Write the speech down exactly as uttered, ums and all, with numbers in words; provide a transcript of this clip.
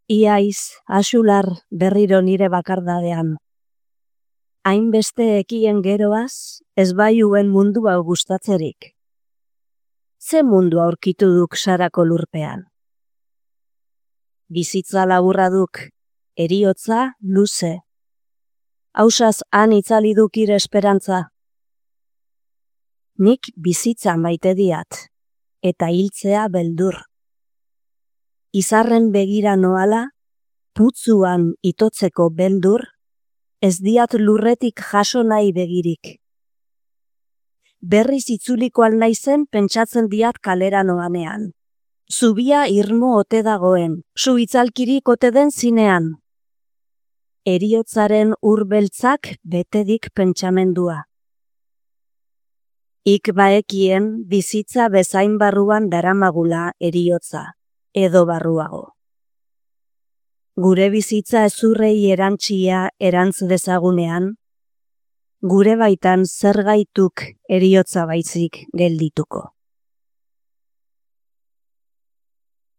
Iaiz, axular berriro nire bakardadean. Hainbeste ekien geroaz, ez baiuen mundu hau gustatzerik. Ze mundu aurkitu duk sarako lurpean? Bizitza laburra duk, heriotza luze. Hausaz han itzali duk ire esperantza. Nik bizitza maite diat, eta hiltzea beldur. Izarren begira noala, putzuan itotzeko beldur, ez diat lurretik jaso nahi begirik. Berriz itzuliko alnaizen pentsatzen diat kalera noanean. Zubia irmo ote dagoen, zu itzalkirik ote den zinean. Heriotzaren urbeltzak betedik pentsamendua. Ik baekien bizitza bezain barruan daramagula heriotza, edo barruago. Gure bizitza ezurrei erantzia erantz dezagunean, gure baitan zer gaituk heriotza baizik geldituko.